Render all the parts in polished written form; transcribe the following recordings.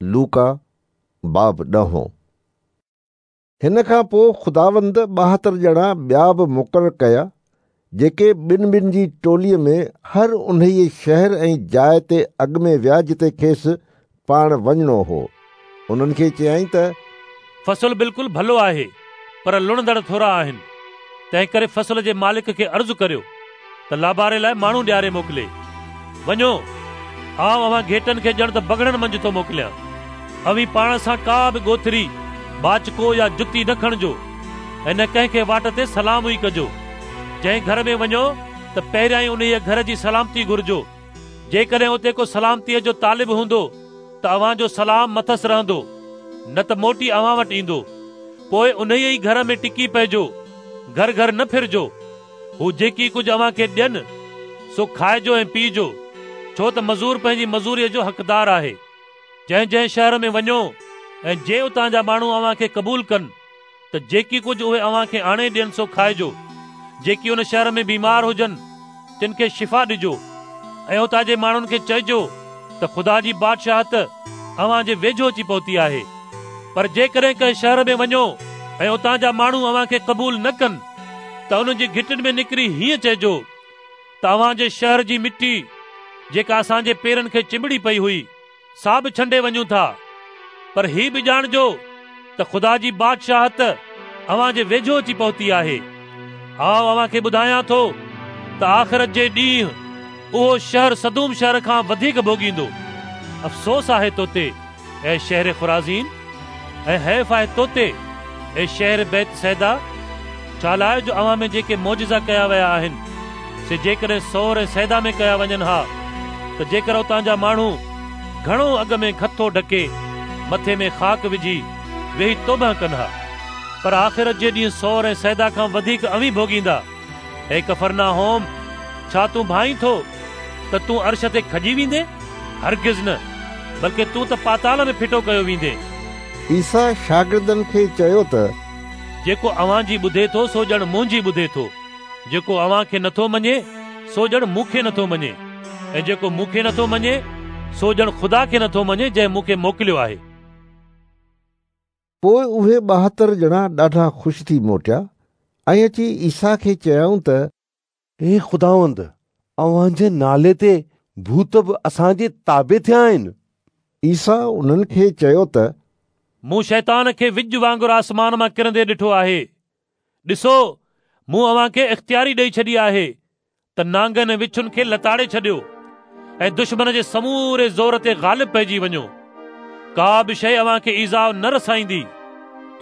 لوڪا باب ڏهون. هن کان پوء خداوند 72 ڄڻا ٻيا به مقرر ڪيا، جيڪي ٻن ٻن جي ٽوليء ۾ هر انهيء شهر ۽ جاء تي اڳ ۾ ويا جتي کيس پاڻ وڃڻو هو. انهن کي چيائين ته. فصل بلڪل ڀلو آهي، پر لڻندڙ ٿورا آهن. تنهنڪري فصل جي مالڪ کي عرض ڪريو ته لاباري لاء ماڻهو ڏياري موڪلي. وڃو، آئون اوهان گهيٽن کي ڄڻ ته بگهڙن منجهه ٿو موڪليان. اوهين پاڻ سان ڪا به ڳوٿري، ٻاچڪو يا جتي نه کڻجو ۽ نه ڪنهن کي واٽ تي سلام ئي ڪجو. جنهن گهر ۾ وڃو ته پهريائين انهيء گهر جي سلامتي گهرجو. جيڪڏهن اتي ڪو سلامتيء جو طالب هوندو ته اوهان جو سلام مٿس رهندو، نه ته موٽي اوهان وٽ ايندو. پوء انهيء ئي گهر ۾ ٽڪي پئجو، گهر گهر نه ڦرجو. هو جيڪي ڪجهه اوهان کي ڏين، سو کائجو ۽ پيئجو، ڇو ته مزور پنهنجي مزوريء جو حقدار آهي. جنهن جنهن شهر ۾ وڃو ۽ جي اتان جا ماڻهو اوهان کي قبول ڪن، ته جيڪي ڪجهه اهي اوهان کي آڻي ڏين سو کائجو. جيڪي ان شهر ۾ بيمار هجن، تن کي شفا ڏجو ۽ اتان جي ماڻهن کي چئجو ته خدا جي بادشاهت اوهان جي ويجهو اچي پهتي آهي. پر جيڪڏهن ڪنهن شهر ۾ وڃو ۽ اتان جا ماڻهو اوهان کي قبول نه ڪن ته انهن جي گهٽين ۾ نڪري هيئن چئجو ته اوهان جي شهر جي مٽي جيڪا اسان جي پيرن کي چنبڙي پئي هئي، سا به ڇنڊي وڃون ٿا. پر هي به ڄاڻجو ته خدا جي بادشاهت اوهان جي ويجهو اچي پهتي آهي. آئون اوهان کي ٻڌايان ٿو ته آخرت جي ڏينهن اهو شهر سدوم شهر کان وڌيڪ ڀوڳيندو. افسوس آهي توتي، اي شهر خرازين! ۽ حيف آهي توتي، اي شهر بيت صيدا! ڇالاء جو اوهان ۾ جيڪي معجزا ڪيا ويا آهن، سي جيڪڏهن صور ۽ صيدا ۾ ڪيا وڃن ها، ته جيڪر اتان جا ماڻهو گهڻو اڳ ۾ کٿو ڍڪي، مٿي ۾ خاڪ وجهي، ويهي توبهه ڪن ها. پر آخرت جي ڏينهن صور ۽ صيدا کان وڌيڪ اوهين ڀوڳيندا. اي ڪفرناحوم! ڇا تون ڀانئين ٿو ته تون عرش تي کڄي ويندين؟ هرگز نه، بلڪه تون ته پاتال ۾ ڦٽو ڪيو ويندين. عيسيٰ شاگردن کي چيو ته. جيڪو اوهان جي ٻڌي ٿو سو ڄڻ منهنجي ٻڌي ٿو، جيڪو اوهان کي نٿو مڃي سو ڄڻ مون کي نٿو مڃي، ۽ جيڪو مون کي نٿو مڃي سو ڄڻ خدا کي نٿو مڃي جنهن مون کي موڪليو آهي. پوء اهي 72 ڄڻا ڏاڍا خوش ٿي موٽيا ۽ اچي عيسيٰ کي چيائون ته. اي خداوند، اوهان جي نالي تي ڀوت به اسان جي تابع ٿيا آهن. عيسيٰ انهن کي چيو ته. مون شيطان کي وڄ وانگر آسمان مان ڪرندي ڏٺو آهي. ڏسو، مون اوهان کي اختياري ڏيئي ڇڏي آهي ته نانگن ۽ وڇن کي لتاڙي ڇڏيو ۽ دشمن جي سموري زور تي غالب پئجي وڃو. ڪا به شيء اوهان کي ايذاء نه رسائيندي.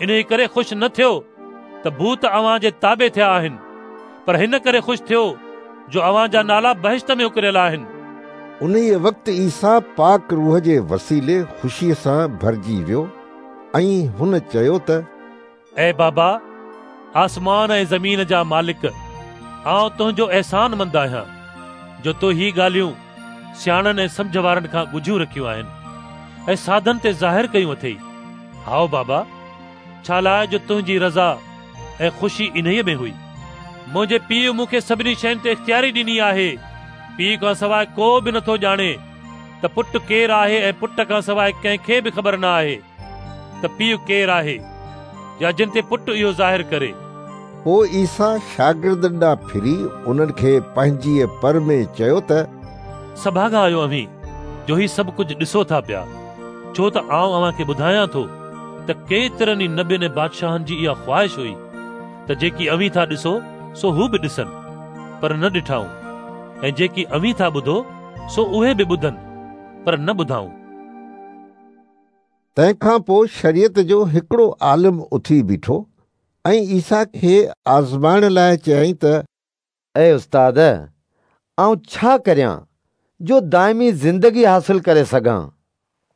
انهيء ڪري خوش نه ٿيو ته ڀوت اوهان جي تابع ٿيا آهن، پر هن ڪري خوش ٿيو جو اوهان جا نالا بهشت ۾ اڪريل آهن. انهيء وقت عيسيٰ پاڪ روح جي وسيلي خوشيء سان ڀرجي ويو ۽ هن چيو ته. اي بابا، آسمان ۽ زمين جا مالڪ، آئون تنهنجو احسانمند آهيان، جو تو هي ڳالهيون سياڻن ۽ سمجهه وارن کان ڳجهيون رکيون آهن ۽ سادن تي ظاهر ڪيون اٿئي. هائو بابا، ڇالاء جو تنهنجي رضا ۽ خوشي انهيء ۾ هئي. منهنجي پيء مون کي سڀني شين تي اختياري ڏني آهي. پيء کان سواء ڪو به نٿو ڄاڻي ته پٽ ڪير آهي ۽ پٽ کان سواء ڪنهن کي به خبر نه آهي. ته پيء ڪير آهي يا جن تي پٽ اهو ظاهر ڪري. پوء عيسيٰ شاگردن ڏانهن ڦري انهن کي پنهنجيء پر ۾ چيو ته. سڀاڳا آهيو اوهين جو هي سڀ ڪجهه ڏسو ٿا پيا، ڇو ته آئون اوهان کي ٻڌايان ٿو ته ڪيترن ئي نبين ۽ بادشاهن جي اها خواهش هئي ته جيڪي اوهين ٿا ڏسو سو هو به ڏسن، پر نه ڏٺائون، ۽ جيڪي اوهين ٿا ٻڌو سو اهي به ٻڌن، پر نه ٻڌائون. تنهن کان پوء شريعت جو هڪڙو عالم اٿي بيٺو ۽ عيسيٰ کي آزمائڻ لاء چيائين ته. اي استاد، آئون ڇا ڪريان جو دائمي زندگي حاصل ڪري سگهان؟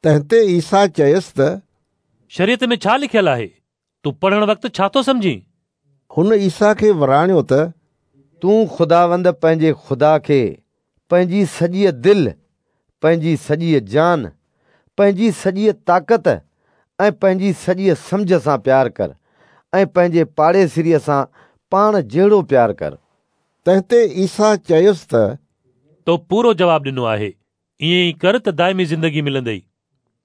تنهن تي عيسيٰ چيس ته. شريعت ۾ ڇا لکيل آهي؟ تون پڙهڻ وقت ڇا ٿو سمجهين؟ هن عيسيٰ کي وراڻيو ته. تون خداوند پنهنجي خدا کي پنهنجي سڄيء دل، پنهنجي سڄيء جان، پنهنجي سڄيء طاقت ۽ پنهنجي سڄيء سمجهه سان پيار ڪر ۽ پنهنجي پاڙيسريء سان پاڻ جهڙو پيار ڪر. تنهن تي عيسيٰ چيس ته. تو پورو جواب ڏنو آهي، ائين ئي ڪر ته دائمي زندگي ملندئي.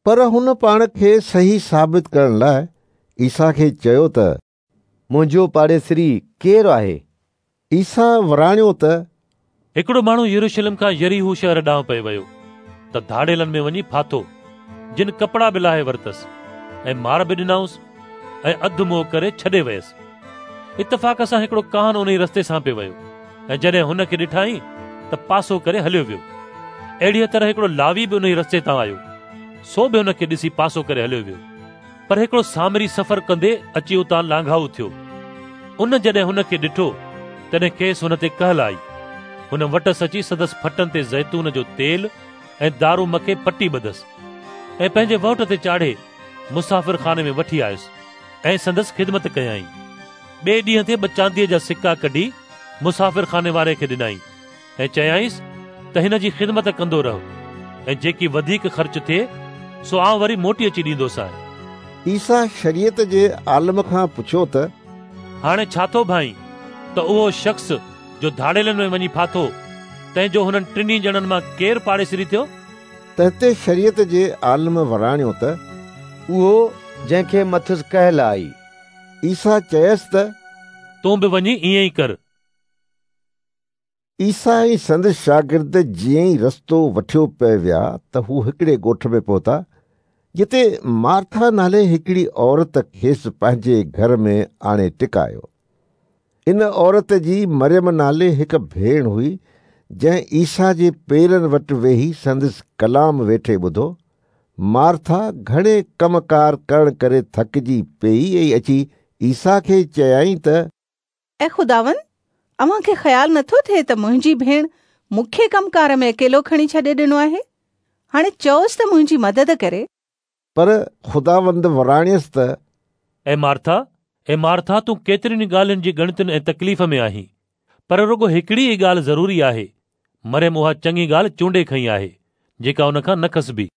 پر هن پاڻ کي صحيح ثابت ڪرڻ لاء عيسيٰ کي چيو ته. منهنجو پاڙيسري ڪير آهي؟ عيسيٰ وراڻيو ته. هڪڙو ماڻهو يروشلم کان يريحو شهر ڏانهن پئي ويو ته ڌاڙيلن ۾ وڃي ڦاٿو، جن ڪپڙا به لاهي ورتس ۽ مار به ڏنائونس ۽ اڌ مئو ڪري ڇڏي ويس. اتفاق سان هڪڙو ڪاهن انهي رستي سان پئي ويو ۽ جڏهن هن کي ڏٺائين ته پاسو ڪري هليو ويو. اهڙيء طرح هڪڙو لاوي به انهيء رستي تان آيو، سو به هن کي ڏسي پاسو ڪري هليو ويو. پر هڪڙو سامري سفر ڪندي اچي اتان لانگهائو ٿيو. ان جڏهن هن کي ڏٺو، تڏهن کيس هن تي ڪهل آئي. هن وٽس اچي سندس ڦٽن تي زيتون جو تيل ۽ دارو مکي پٽي ٻڌس ۽ پنهنجي وهٽ تي چاڙهي مسافرخاني ۾ وٺي آيس ۽ سندس خدمت ڪيائين. ٻئي ڏينهن تي ٻه چانديء جا سڪا ڪڍي مسافرخاني واري کي ڏنائين ۽ چيائينس ته هن جي خدمت ڪندو رهه ۽ جيڪي وڌيڪ خرچ ٿئي سو آئون وري موٽي اچي ڏيندوسانء. عيسيٰ شريعت جي عالم کان پڇيو ته. هاڻي ڇا ٿو ڀانئين ته اهو شخص جو ڌاڙيلن ۾ وڃي ڦاٿو، تنهن جو هنن ٽنهي ڄڻن مان ڪير پاڙيسري ٿيو؟ تنهن تي شريعت جي عالم وراڻيو ته. اهو جنهن کي مٿس ڪهل آئي. عيسيٰ چيس ته. تون به وڃي ائين ئي ڪر. عيسيٰ ۽ سندس شاگرد جيئن ئي رستو وٺيو پئي ويا ته هو هڪڙي ڳوٺ ۾ پهتا، جتي مارٿا نالي هڪڙي عورت کيس پنهنجي گهر ۾ آڻي ٽڪايو. ان عورت جي مريم نالي هڪ ڀيڻ هئي، جنهن عيسيٰ جي پيرن وٽ ويهي سندس ڪلام ويٺي ٻڌو. مارٿا گهڻي ڪم ڪار ڪرڻ ڪري ٿڪجي پيئي ۽ اچي عيسيٰ کي چيائين ته. اي خداوند، اوهان کي خيال نٿو ٿئي ته منهنجي ڀيڻ مون کي ڪم ڪار ۾ اڪيلو کڻي ڇڏي ڏنو آهي؟ هاڻي چئوس ته منهنجي مدد ڪري. پر خداوند وراڻيس ته. اي مارٿا، اي مارٿا، تون ڪيترين ئي ڳالهين جي ڳڻتين ۽ تڪليف ۾ آهين، پر رڳو هڪڙي ئي ڳالهه ضروري آهي. مريم اها چڱي ڳالهه چونڊي کنئي آهي، جيڪا ان کان نه کسبي.